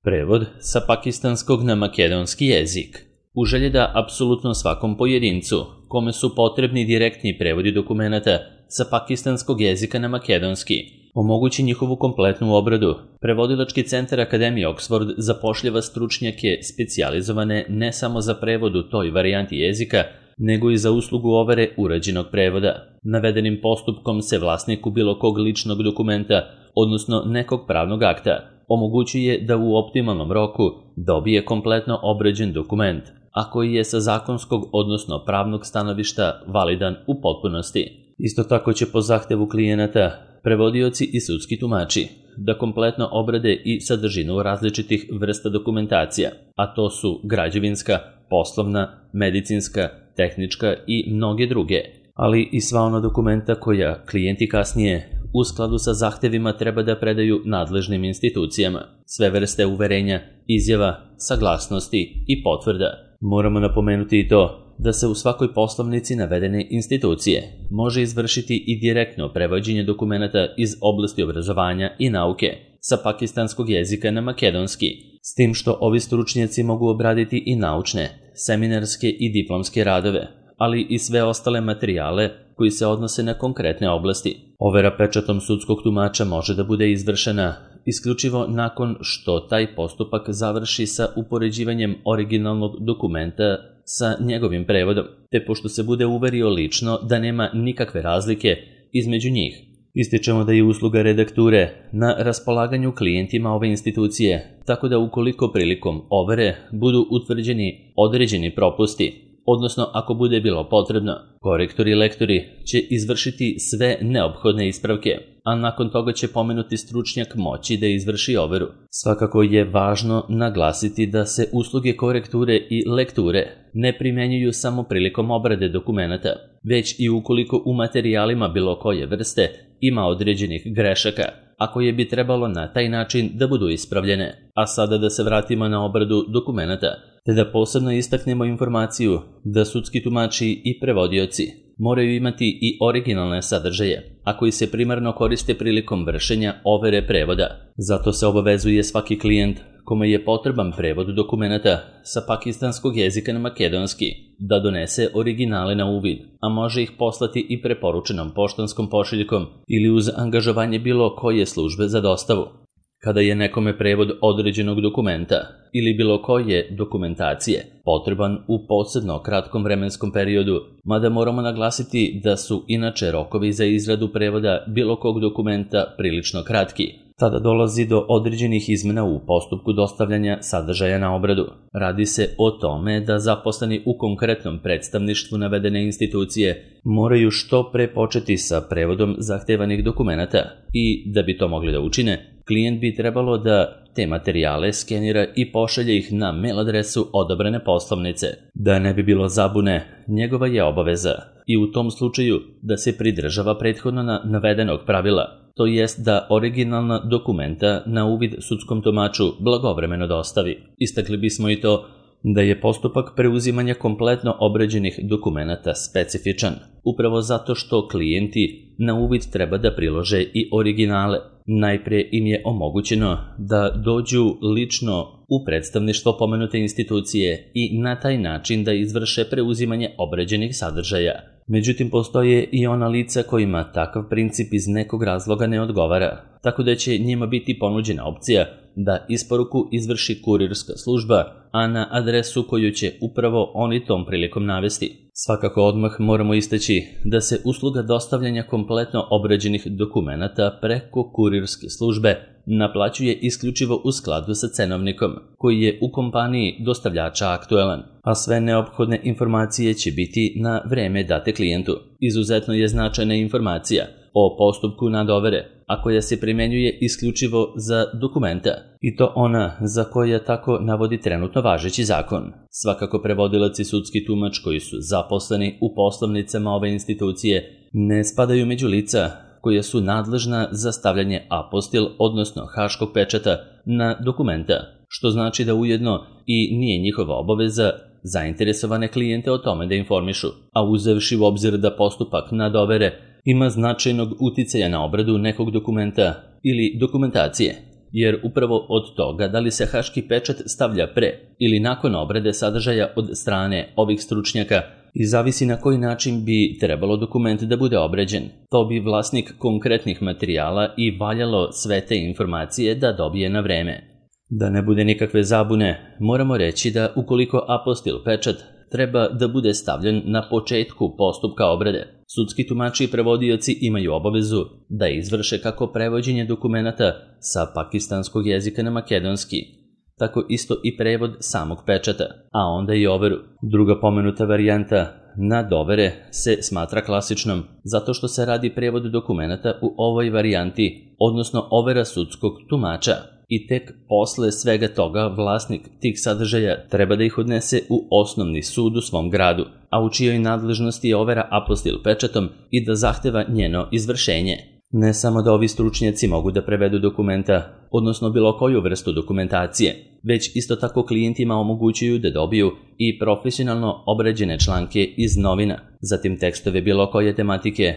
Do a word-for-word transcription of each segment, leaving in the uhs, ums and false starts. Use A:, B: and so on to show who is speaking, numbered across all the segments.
A: Prevod sa pakistanskog na makedonski jezik. U želji da apsolutno svakom pojedincu, kome su potrebni direktni prevodi dokumenata sa pakistanskog jezika na makedonski, omogući njihovu kompletnu obradu, Prevodilački centar Akademije Oxford zapošljava stručnjake specijalizovane ne samo za prevod u toj varijanti jezika, nego i za uslugu overe urađenog prevoda. Navedenim postupkom se vlasniku bilo kog ličnog dokumenta, odnosno nekog pravnog akta, omogućuje da u optimalnom roku dobije kompletno obrađen dokument, a koji je sa zakonskog, odnosno pravnog stanovišta validan u potpunosti. Isto tako će po zahtevu klijenata prevodioci i sudski tumači da kompletno obrade i sadržinu različitih vrsta dokumentacija, a to su građevinska, poslovna, medicinska, tehnička i mnoge druge, ali i sva ona dokumenta koja klijenti kasnije u skladu sa zahtevima treba da predaju nadležnim institucijama, sve vrste uverenja, izjava, saglasnosti i potvrda. Moramo napomenuti i to da se u svakoj poslovnici navedene institucije može izvršiti i direktno prevođenje dokumenata iz oblasti obrazovanja i nauke sa pakistanskog jezika na makedonski, s tim što ovi stručnjaci mogu obraditi i naučne, seminarske i diplomske radove, ali i sve ostale materijale koji se odnose na konkretne oblasti. Overa pečatom sudskog tumača može da bude izvršena isključivo nakon što taj postupak završi sa upoređivanjem originalnog dokumenta sa njegovim prevodom, te pošto se bude uverio lično da nema nikakve razlike između njih. Ističemo da je usluga redakture na raspolaganju klijentima ove institucije, tako da ukoliko prilikom overe budu utvrđeni određeni propusti, odnosno ako bude bilo potrebno, korektori i lektori će izvršiti sve neophodne ispravke, a nakon toga će pomenuti stručnjak moći da izvrši overu. Svakako je važno naglasiti da se usluge korekture i lekture ne primenjuju samo prilikom obrade dokumenata, već i ukoliko u materijalima bilo koje vrste ima određenih grešaka, a koje bi trebalo na taj način da budu ispravljene. A sada da se vratimo na obradu dokumenata, te da posebno istaknemo informaciju da sudski tumači i prevodioci moraju imati i originalne sadržaje, a koji se primarno koriste prilikom vršenja overe prevoda. Zato se obavezuje svaki klijent kome je potreban prevod dokumenata sa pakistanskog jezika na makedonski da donese originale na uvid, a može ih poslati i preporučenom poštanskom pošiljkom ili uz angažovanje bilo koje službe za dostavu. Kada je nekome prevod određenog dokumenta ili bilo koje dokumentacije potreban u posebno kratkom vremenskom periodu, mada moramo naglasiti da su inače rokovi za izradu prevoda bilo kog dokumenta prilično kratki, tada dolazi do određenih izmena u postupku dostavljanja sadržaja na obradu. Radi se o tome da zaposleni u konkretnom predstavništvu navedene institucije moraju što pre početi sa prevodom zahtevanih dokumenata i, da bi to mogli da učine, klijent bi trebalo da te materijale skenira i pošalje ih na mail adresu odabrane poslovnice. Da ne bi bilo zabune, njegova je obaveza i u tom slučaju da se pridržava prethodno na navedenog pravila, to jest da originalna dokumenta na uvid sudskom tumaču blagovremeno dostavi. Istakli bismo i to da je postupak preuzimanja kompletno obrađenih dokumenata specifičan, upravo zato što klijenti na uvid treba da prilože i originale. Najprije im je omogućeno da dođu lično u predstavništvo pomenute institucije i na taj način da izvrše preuzimanje obrađenih sadržaja. Međutim, postoje i ona lica kojima takav princip iz nekog razloga ne odgovara, tako da će njima biti ponuđena opcija da isporuku izvrši kurirska služba, a na adresu koju će upravo oni tom prilikom navesti. Svakako odmah moramo istaći da se usluga dostavljanja kompletno obrađenih dokumenata preko kurirske službe naplaćuje isključivo u skladu sa cenovnikom, koji je u kompaniji dostavljača aktuelan, a sve neophodne informacije će biti na vreme date klijentu. Izuzetno je značajna informacija o postupku nadovere, a koja se primenjuje isključivo za dokumenta, i to ona za koja tako navodi trenutno važeći zakon. Svakako prevodilac i sudski tumač koji su zaposleni u poslovnicama ove institucije ne spadaju među lica koja su nadležna za stavljanje apostil, odnosno haškog pečata na dokumenta, što znači da ujedno i nije njihova obaveza zainteresovane klijente o tome da informišu, a uzevši u obzir da postupak nadovere ima značajnog uticaja na obradu nekog dokumenta ili dokumentacije, jer upravo od toga da li se haški pečat stavlja pre ili nakon obrade sadržaja od strane ovih stručnjaka i zavisi na koji način bi trebalo dokument da bude obrađen. To bi vlasnik konkretnih materijala i valjalo sve te informacije da dobije na vreme. Da ne bude nikakve zabune, moramo reći da ukoliko apostil pečat treba da bude stavljen na početku postupka obrade, sudski tumači i prevodioci imaju obavezu da izvrše kako prevođenje dokumenata sa pakistanskog jezika na makedonski, tako isto i prevod samog pečata, a onda i overu. Druga pomenuta varijanta nadovere se smatra klasičnom, zato što se radi prevod dokumenata u ovoj varijanti, odnosno overa sudskog tumača. I tek posle svega toga vlasnik tih sadržaja treba da ih odnese u osnovni sud u svom gradu, a u čijoj nadležnosti je overa apostil pečatom i da zahteva njeno izvršenje. Ne samo da ovi stručnjaci mogu da prevedu dokumenta, odnosno bilo koju vrstu dokumentacije, već isto tako klijentima omogućuju da dobiju i profesionalno obrađene članke iz novina, zatim tekstove bilo koje tematike,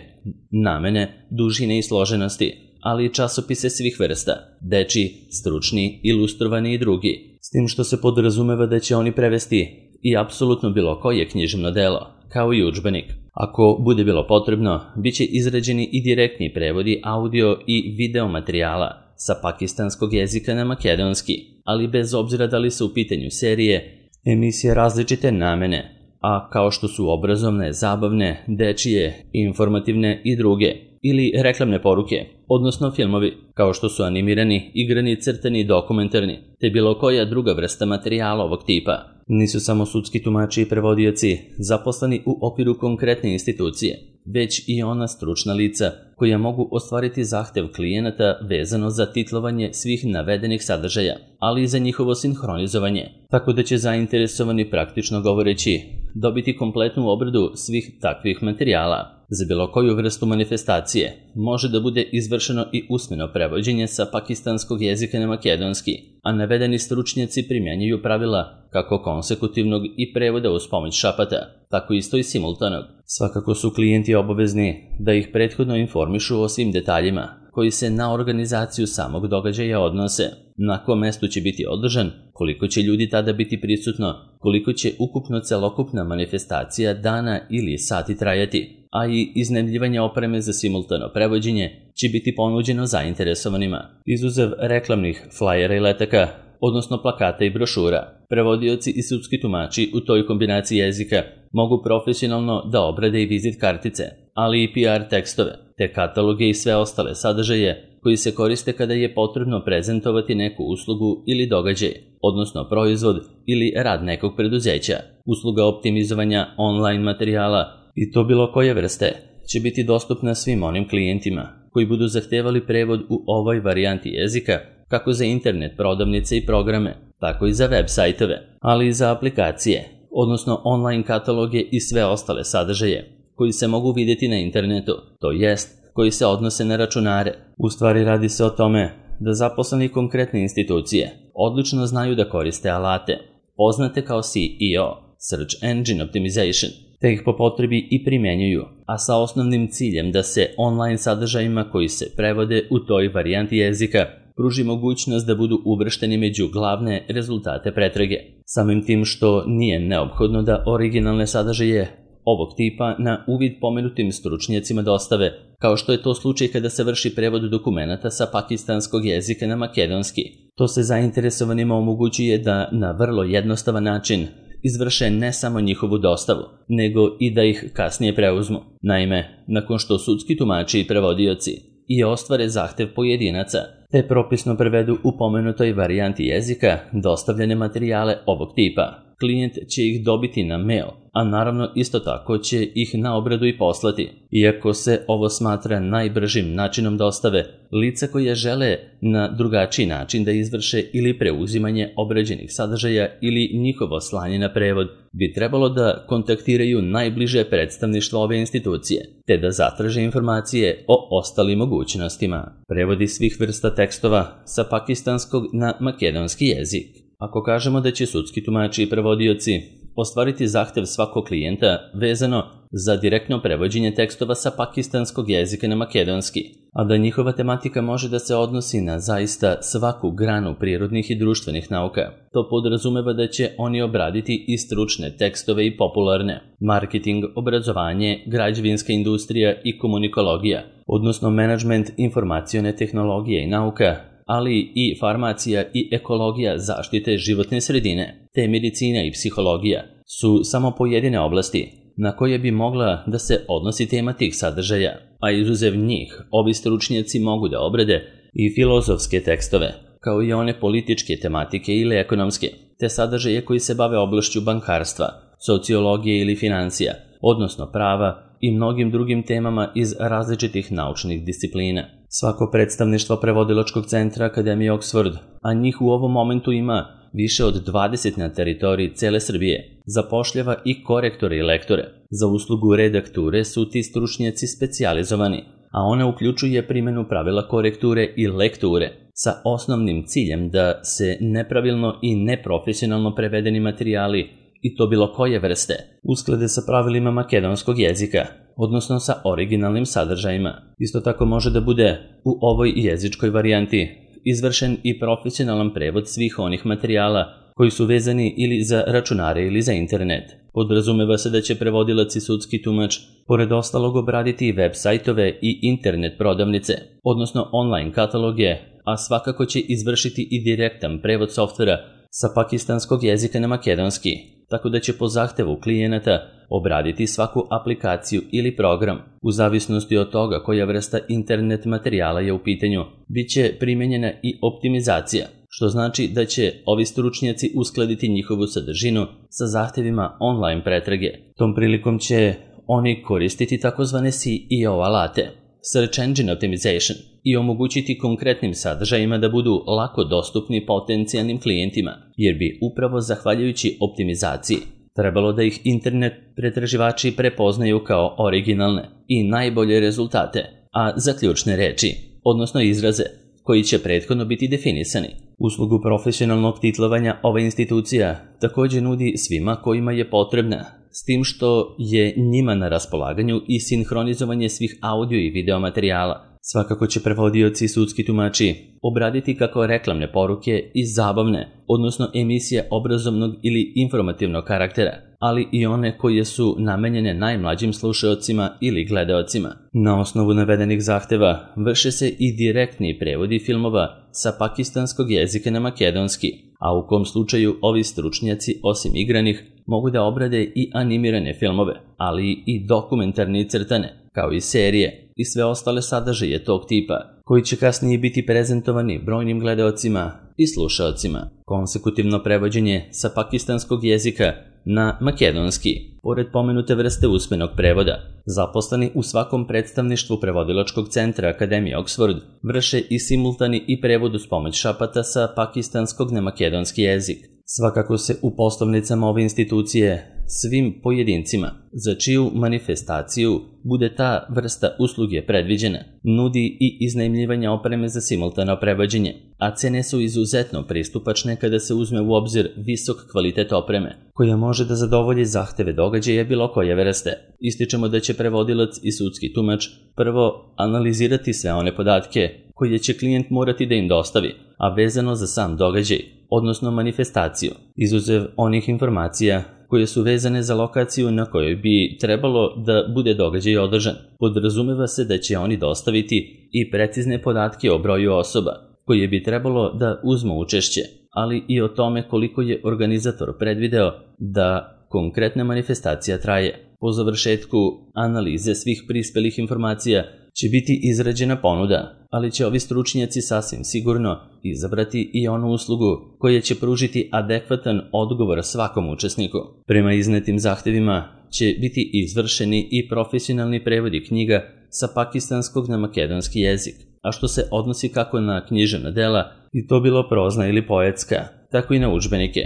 A: namene, dužine i složenosti, ali i časopise svih vrsta, dečiji, stručni, ilustrovani i drugi, s tim što se podrazumeva da će oni prevesti i apsolutno bilo koje književno delo, kao i udžbenik. Ako bude bilo potrebno, bit će izrađeni i direktni prevodi audio i video materijala sa pakistanskog jezika na makedonski, ali bez obzira da li su u pitanju serije, emisije različite namene, a kao što su obrazovne, zabavne, dečije, informativne i druge, ili reklamne poruke, odnosno filmovi, kao što su animirani, igrani, crtani i dokumentarni, te bilo koja druga vrsta materijala ovog tipa. Nisu samo sudski tumači i prevodioci zaposleni u okviru konkretne institucije, već i ona stručna lica koja mogu ostvariti zahtev klijenata vezano za titlovanje svih navedenih sadržaja, ali i za njihovo sinhronizovanje, tako da će zainteresovani praktično govoreći dobiti kompletnu obradu svih takvih materijala. Za bilo koju vrstu manifestacije može da bude izvršeno i usmeno prevođenje sa pakistanskog jezika na makedonski, a navedeni stručnjaci primjenjuju pravila kako konsekutivnog i prevoda uz pomoć šapata, tako isto i simultanog. Svakako su klijenti obavezni da ih prethodno informišu o svim detaljima koji se na organizaciju samog događaja odnose, na kom mestu će biti održan, koliko će ljudi tada biti prisutno, koliko će ukupno celokupna manifestacija dana ili sati trajati, a i iznajmljivanje opreme za simultano prevođenje će biti ponuđeno zainteresovanima. Izuzev reklamnih flajera i letaka, odnosno plakata i brošura, prevodioci i sudski tumači u toj kombinaciji jezika mogu profesionalno da obrade i vizit kartice, ali i P R tekstove, te kataloge i sve ostale sadržaje koji se koriste kada je potrebno prezentovati neku uslugu ili događaj, odnosno proizvod ili rad nekog preduzeća. Usluga optimizovanja online materijala, i to bilo koje vrste, će biti dostupna svim onim klijentima koji budu zahtevali prevod u ovoj varijanti jezika, kako za internet prodavnice i programe, tako i za web sajtove, ali i za aplikacije, odnosno online kataloge i sve ostale sadržaje koji se mogu vidjeti na internetu, to jest koji se odnose na računare. U stvari radi se o tome da zaposleni konkretne institucije odlično znaju da koriste alate, poznate kao S E O, Search Engine Optimization, te ih po potrebi i primjenjuju, a sa osnovnim ciljem da se online sadržajima koji se prevode u toj varijanti jezika pruži mogućnost da budu uvršteni među glavne rezultate pretrage. Samim tim što nije neophodno da originalne sadržaje ovog tipa na uvid pomenutim stručnjacima dostave, kao što je to slučaj kada se vrši prevod dokumenata sa pakistanskog jezika na makedonski. To se zainteresovanima omogućuje da na vrlo jednostavan način izvrše ne samo njihovu dostavu, nego i da ih kasnije preuzmu. Naime, nakon što sudski tumači i prevodioci i ostvare zahtev pojedinaca, te propisno prevedu u pomenutoj varijanti jezika dostavljene materijale ovog tipa, klijent će ih dobiti na mail, a naravno isto tako će ih na obradu i poslati. Iako se ovo smatra najbržim načinom dostave, lica koja žele na drugačiji način da izvrše ili preuzimanje obrađenih sadržaja ili njihovo slanje na prevod, bi trebalo da kontaktiraju najbliže predstavništvo ove institucije, te da zatraže informacije o ostalim mogućnostima. Prevodi svih vrsta tekstova sa pakistanskog na makedonski jezik. Ako kažemo da će sudski tumači i prevodioci ostvariti zahtev svakog klijenta vezano za direktno prevođenje tekstova sa pakistanskog jezika na makedonski, a da njihova tematika može da se odnosi na zaista svaku granu prirodnih i društvenih nauka. To podrazumeva da će oni obraditi i stručne tekstove i popularne, marketing, obrazovanje, građevinska industrija i komunikologija, odnosno menadžment, informacione tehnologije i nauka, ali i farmacija i ekologija zaštite životne sredine, te medicina i psihologija su samo pojedine oblasti na koje bi mogla da se odnosi tema tih sadržaja, a izuzev njih, ovi stručnjaci mogu da obrade i filozofske tekstove, kao i one političke tematike ili ekonomske, te sadržaje koji se bave oblašću bankarstva, sociologije ili financija, odnosno prava i mnogim drugim temama iz različitih naučnih disciplina. Svako predstavništvo prevodilačkog centra Akademije Oxford, a njih u ovom momentu ima više od dvadeset na teritoriji cele Srbije, zapošljava i korektore i lektore. Za uslugu redakture su ti stručnjaci specijalizovani, a ona uključuje primjenu pravila korekture i lekture sa osnovnim ciljem da se nepravilno i neprofesionalno prevedeni materijali, i to bilo koje vrste, usklade sa pravilima makedonskog jezika, odnosno sa originalnim sadržajima. Isto tako može da bude u ovoj jezičkoj varijanti izvršen i profesionalan prevod svih onih materijala koji su vezani ili za računare ili za internet. Podrazumeva se da će prevodilac i sudski tumač pored ostalog obraditi i web sajtove i internet prodavnice, odnosno online kataloge, a svakako će izvršiti i direktan prevod softvera sa pakistanskog jezika na makedonski, tako da će po zahtevu klijenata obraditi svaku aplikaciju ili program. U zavisnosti od toga koja vrsta internet materijala je u pitanju, bit će primjenjena i optimizacija, što znači da će ovi stručnjaci uskladiti njihovu sadržinu sa zahtevima online pretrage. Tom prilikom će oni koristiti takozvane S E O alate, Search Engine Optimization, i omogućiti konkretnim sadržajima da budu lako dostupni potencijalnim klijentima, jer bi upravo zahvaljujući optimizaciji trebalo da ih internet pretraživači prepoznaju kao originalne i najbolje rezultate, a za ključne reči, odnosno izraze, koji će prethodno biti definisani. Uslugu profesionalnog titlovanja ova institucija također nudi svima kojima je potrebna, s tim što je njima na raspolaganju i sinhronizovanje svih audio i video materijala. Svakako će prevodioci i sudski tumači obraditi kako reklamne poruke i zabavne, odnosno emisije obrazovnog ili informativnog karaktera, ali i one koje su namenjene najmlađim slušaocima ili gledaocima. Na osnovu navedenih zahteva vrše se i direktni prevodi filmova sa pakistanskog jezika na makedonski, a u kom slučaju ovi stručnjaci osim igranih mogu da obrade i animirane filmove, ali i dokumentarne i crtane, kao i serije i sve ostale sadržaje tog tipa, koji će kasnije biti prezentovani brojnim gledaocima i slušaocima. Konsekutivno prevođenje sa pakistanskog jezika na makedonski, pored pomenute vrste usmenog prevoda, zaposleni u svakom predstavništvu prevodilačkog centra Akademije Oxford vrše i simultani i prevod uz pomoć šapata sa pakistanskog na makedonski jezik. Svakako se u poslovnicama ove institucije svim pojedincima, za čiju manifestaciju bude ta vrsta usluge predviđena, nudi i iznajmljivanje opreme za simultano prevođenje, a cene su izuzetno pristupačne kada se uzme u obzir visok kvalitet opreme, koja može da zadovolji zahteve događaja bilo koje vrste. Ističemo da će prevodilac i sudski tumač prvo analizirati sve one podatke koje će klijent morati da im dostavi, a vezano za sam događaj, odnosno manifestaciju, izuzev onih informacija koje su vezane za lokaciju na kojoj bi trebalo da bude događaj održan. Podrazumeva se da će oni dostaviti i precizne podatke o broju osoba koje bi trebalo da uzmu učešće, ali i o tome koliko je organizator predvideo da konkretna manifestacija traje. Po završetku analize svih prispelih informacija će biti izrađena ponuda, ali će ovi stručnjaci sasvim sigurno izabrati i onu uslugu koja će pružiti adekvatan odgovor svakom učesniku. Prema iznetim zahtevima će biti izvršeni i profesionalni prevodi knjiga sa pakistanskog na makedonski jezik, a što se odnosi kako na književna dela, i to bilo prozna ili poetska, tako i na udžbenike.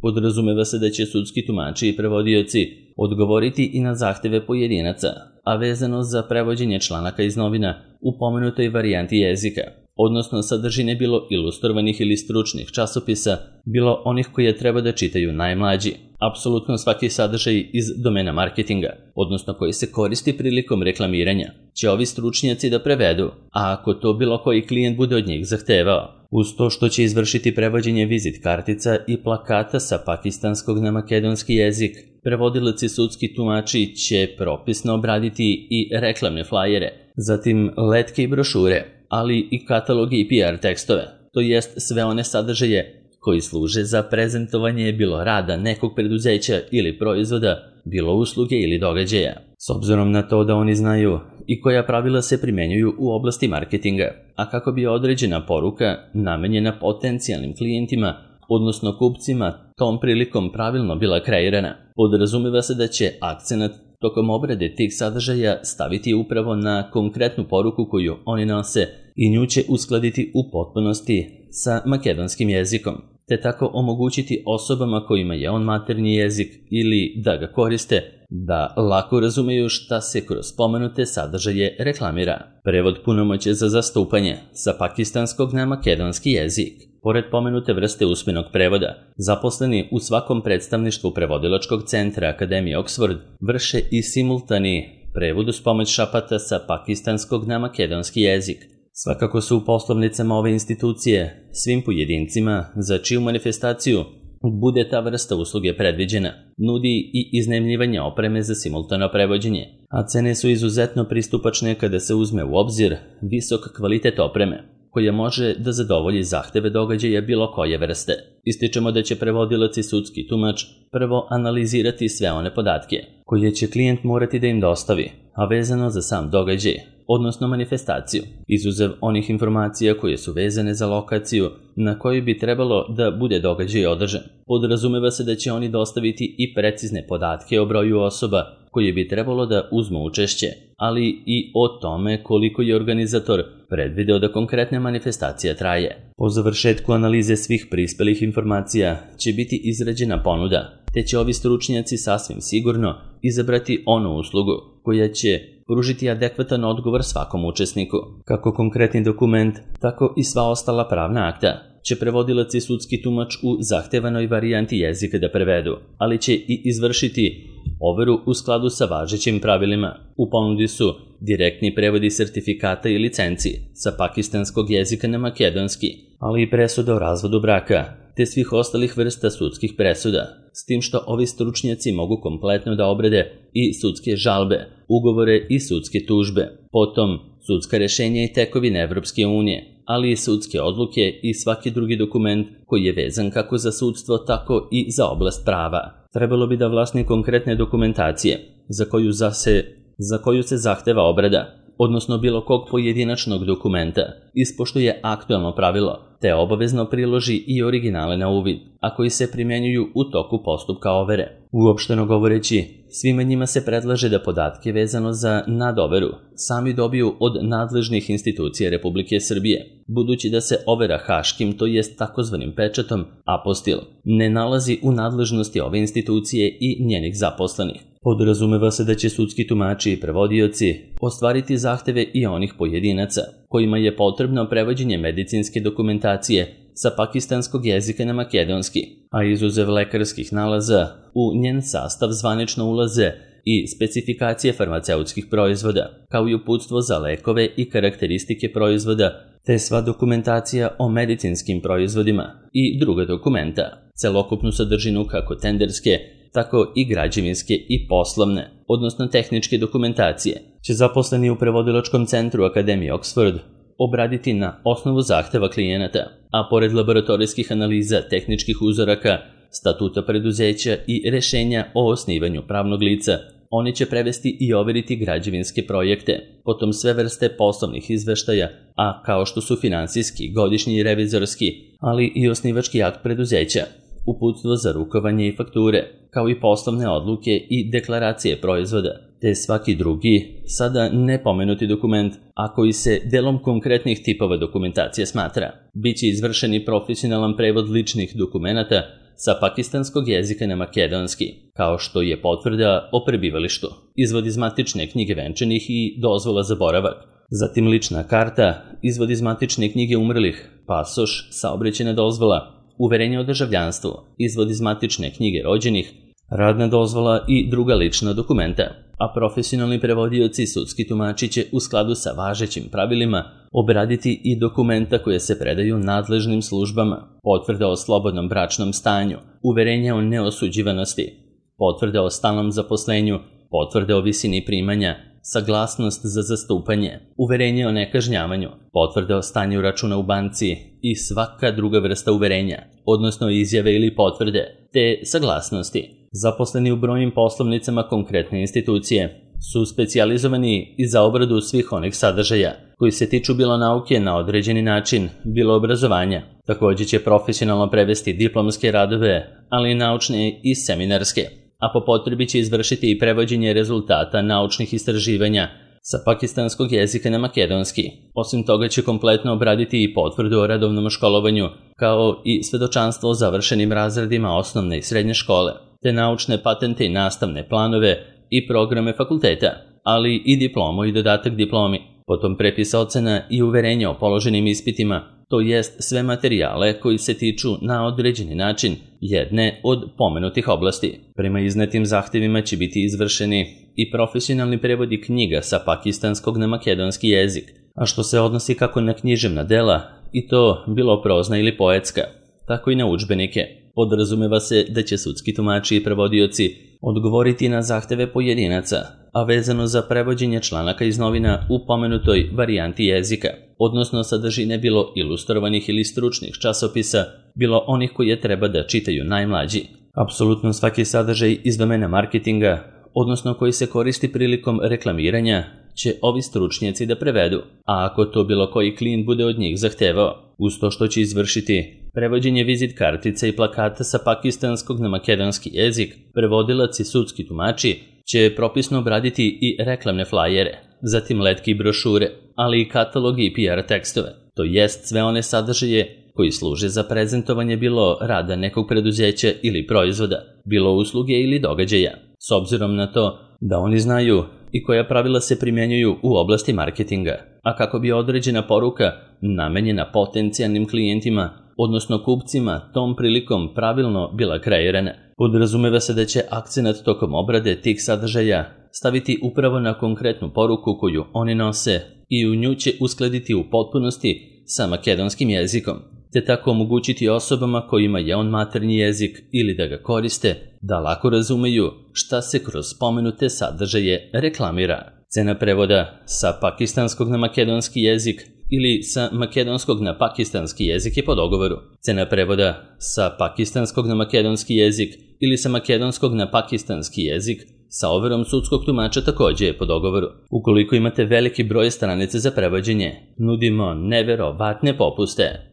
A: Podrazumeva se da će sudski tumači i prevodioci odgovoriti i na zahteve pojedinaca, a vezano za prevođenje članaka iz novina u pomenutoj varijanti jezika, odnosno sadržine bilo ilustrovanih ili stručnih časopisa, bilo onih koje treba da čitaju najmlađi, apsolutno svaki sadržaj iz domena marketinga, odnosno koji se koristi prilikom reklamiranja, će ovi stručnjaci da prevedu, a ako to bilo koji klijent bude od njih zahtevao, uz to što će izvršiti prevođenje vizit kartica i plakata sa pakistanskog na makedonski jezik, prevodilac i sudski tumači će propisno obraditi i reklamne flajere, zatim letke i brošure, ali i kataloge i P R tekstove, to jest sve one sadržaje koji služe za prezentovanje bilo rada nekog preduzeća ili proizvoda, bilo usluge ili događaja, s obzirom na to da oni znaju i koja pravila se primenjuju u oblasti marketinga, a kako bi određena poruka namenjena potencijalnim klijentima, odnosno kupcima, tom prilikom pravilno bila kreirana. Podrazumeva se da će akcenat tokom obrade tih sadržaja staviti upravo na konkretnu poruku koju oni nose i nju će uskladiti u potpunosti sa makedonskim jezikom, te tako omogućiti osobama kojima je on maternji jezik ili da ga koriste, da lako razumeju šta se kroz spomenute sadržaje reklamira. Prevod punomoćja za zastupanje sa pakistanskog na makedonski jezik. Pored pomenute vrste usmenog prevoda, zaposleni u svakom predstavništvu prevodilačkog centra Akademije Oxford vrše i simultani prevod uz pomoć šapata sa pakistanskog na makedonski jezik. Svakako su u poslovnicama ove institucije svim pojedincima za čiju manifestaciju bude ta vrsta usluge predviđena, nudi i iznajmljivanje opreme za simultano prevođenje, a cene su izuzetno pristupačne kada se uzme u obzir visok kvalitet opreme, koja može da zadovolji zahteve događaja bilo koje vrste. Ističemo da će prevodilac i sudski tumač prvo analizirati sve one podatke koje će klijent morati da im dostavi, a vezano za sam događaj, odnosno manifestaciju, izuzev onih informacija koje su vezane za lokaciju na kojoj bi trebalo da bude događaj održan. Podrazumeva se da će oni dostaviti i precizne podatke o broju osoba koje bi trebalo da uzmu učešće, ali i o tome koliko je organizator predvideo da konkretna manifestacija traje. Po završetku analize svih prispelih informacija će biti izrađena ponuda, te će ovi stručnjaci sasvim sigurno izabrati onu uslugu koja će pružiti adekvatan odgovor svakom učesniku. Kako konkretni dokument, tako i sva ostala pravna akta će prevodilac i sudski tumač u zahtevanoj varijanti jezika da prevedu, ali će i izvršiti overu u skladu sa važećim pravilima. U ponudi su direktni prevodi sertifikata i licenci sa pakistanskog jezika na makedonski, ali i presuda o razvodu braka, te svih ostalih vrsta sudskih presuda, s tim što ovi stručnjaci mogu kompletno da obrade i sudske žalbe, ugovore i sudske tužbe, potom sudska rešenja i tekovine Evropske unije, ali i sudske odluke i svaki drugi dokument koji je vezan kako za sudstvo, tako i za oblast prava. Trebalo bi da vlasnik konkretne dokumentacije, za koju, zase, za koju se zahteva obrada, odnosno bilo kog pojedinačnog dokumenta, ispoštuje aktuelno pravilo, te obavezno priloži i originale na uvid, a koji se primjenjuju u toku postupka overe. Uopšteno govoreći, svima njima se predlaže da podatke vezano za nadoveru sami dobiju od nadležnih institucija Republike Srbije, budući da se overa haškim, to jest takozvanim pečatom, apostil, ne nalazi u nadležnosti ove institucije i njenih zaposlenih. Podrazumeva se da će sudski tumači i prevodioci ostvariti zahteve i onih pojedinaca kojima je potrebno prevođenje medicinske dokumentacije sa pakistanskog jezika na makedonski, a izuzev lekarskih nalaza, u njen sastav zvanično ulaze i specifikacije farmaceutskih proizvoda, kao i uputstvo za lekove i karakteristike proizvoda, te sva dokumentacija o medicinskim proizvodima i druga dokumenta, celokupnu sadržinu kako tenderske, tako i građevinske i poslovne, odnosno tehničke dokumentacije, će zaposleni u prevodilačkom centru Akademije Oxford obraditi na osnovu zahteva klijenata, a pored laboratorijskih analiza tehničkih uzoraka, statuta preduzeća i rešenja o osnivanju pravnog lica, oni će prevesti i overiti građevinske projekte, potom sve vrste poslovnih izveštaja, a kao što su finansijski, godišnji i revizorski, ali i osnivački akt preduzeća, uputstvo za rukovanje i fakture, kao i poslovne odluke i deklaracije proizvoda, te svaki drugi, sada nepomenuti dokument, a koji se delom konkretnih tipova dokumentacije smatra. Biće izvršen i profesionalan prevod ličnih dokumenata sa pakistanskog jezika na makedonski, kao što je potvrda o prebivalištu, izvod iz matične knjige venčanih i dozvola za boravak, zatim lična karta, izvod iz matične knjige umrlih, pasoš, saobraćajna dozvola, uverenje o državljanstvu, izvod iz matične knjige rođenih, radna dozvola i druga lična dokumenta, a profesionalni prevodioci i sudski tumači će u skladu sa važećim pravilima obraditi i dokumenta koje se predaju nadležnim službama, potvrde o slobodnom bračnom stanju, uverenja o neosuđivanosti, potvrde o stalnom zaposlenju, potvrde o visini primanja, saglasnost za zastupanje, uverenje o nekažnjavanju, potvrde o stanju računa u banci i svaka druga vrsta uverenja, odnosno izjave ili potvrde, te saglasnosti. Zaposleni u brojnim poslovnicama konkretne institucije su specijalizovani i za obradu svih onih sadržaja koji se tiču bilo nauke na određeni način, bilo obrazovanja. Također će profesionalno prevesti diplomske radove, ali i naučne i seminarske, a po potrebi će izvršiti i prevođenje rezultata naučnih istraživanja sa pakistanskog jezika na makedonski. Osim toga će kompletno obraditi i potvrdu o radovnom školovanju, kao i svedočanstvo o završenim razredima osnovne i srednje škole, te naučne patente i nastavne planove i programe fakulteta, ali i diplomu i dodatak diplomi, potom prepis ocena i uverenje o položenim ispitima, to jest sve materijale koji se tiču na određeni način jedne od pomenutih oblasti. Prema iznetim zahtjevima će biti izvršeni i profesionalni prevodi knjiga sa pakistanskog na makedonski jezik, a što se odnosi kako na književna dela, i to bilo prozna ili poetska, tako i na udžbenike. Podrazumeva se da će sudski tumači i prevodioci odgovoriti na zahteve pojedinaca, a vezano za prevođenje članaka iz novina u pomenutoj varijanti jezika, odnosno sadržine bilo ilustrovanih ili stručnih časopisa, bilo onih koje treba da čitaju najmlađi. Apsolutno svaki sadržaj iz domena marketinga, odnosno koji se koristi prilikom reklamiranja, će ovi stručnjaci da prevedu, a ako to bilo koji klijent bude od njih zahtevao, uz to što će izvršiti prevođenje vizit kartica i plakata sa pakistanskog na makedonski jezik, prevodilac i sudski tumači će propisno obraditi i reklamne flajere, zatim letke i brošure, ali i katalogi i P R tekstove, to jest sve one sadržaje koji služe za prezentovanje bilo rada nekog preduzeća ili proizvoda, bilo usluge ili događaja, s obzirom na to da oni znaju i koja pravila se primjenjuju u oblasti marketinga, a kako bi određena poruka namenjena potencijalnim klijentima, odnosno kupcima, tom prilikom pravilno bila kreirana. Podrazumeva se da će akcenat tokom obrade tih sadržaja staviti upravo na konkretnu poruku koju oni nose i u nju će uskladiti u potpunosti sa makedonskim jezikom, te tako omogućiti osobama kojima je on maternji jezik ili da ga koriste, da lako razumeju šta se kroz spomenute sadržaje reklamira. Cena prevoda sa pakistanskog na makedonski jezik ili sa makedonskog na pakistanski jezik je po dogovoru. Cena prevoda sa pakistanskog na makedonski jezik ili sa makedonskog na pakistanski jezik sa overom sudskog tumača također je po dogovoru. Ukoliko imate veliki broj stranica za prevođenje, nudimo neverovatne popuste.